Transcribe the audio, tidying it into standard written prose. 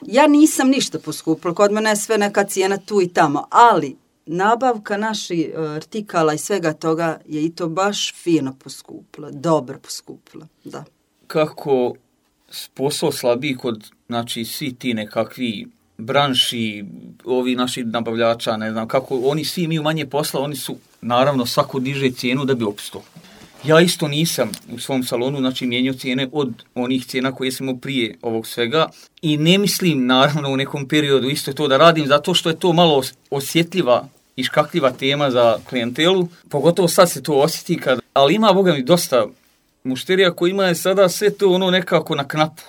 Ja nisam ništa poskupila, kod mene je sve neka cijena tu i tamo, ali nabavka naših artikala i svega toga je i to baš fino poskupila, dobro poskupila, da. Kako posao slabiji kod, znači, svi ti nekakvi branši, ovi naši nabavljača, ne znam, kako oni svi imaju manje posla, oni su, naravno, svako diže cijenu da bi opstao. Ja isto nisam u svom salonu, znači, mijenjao cijene od onih cijena koje sam imao prije ovog svega i ne mislim, naravno, u nekom periodu isto to da radim, zato što je to malo osjetljiva i škakljiva tema za klijentelu, pogotovo sad se to osjeti, ali ima, boga mi, dosta mušterija koji ima sada sve to nekako na knapu.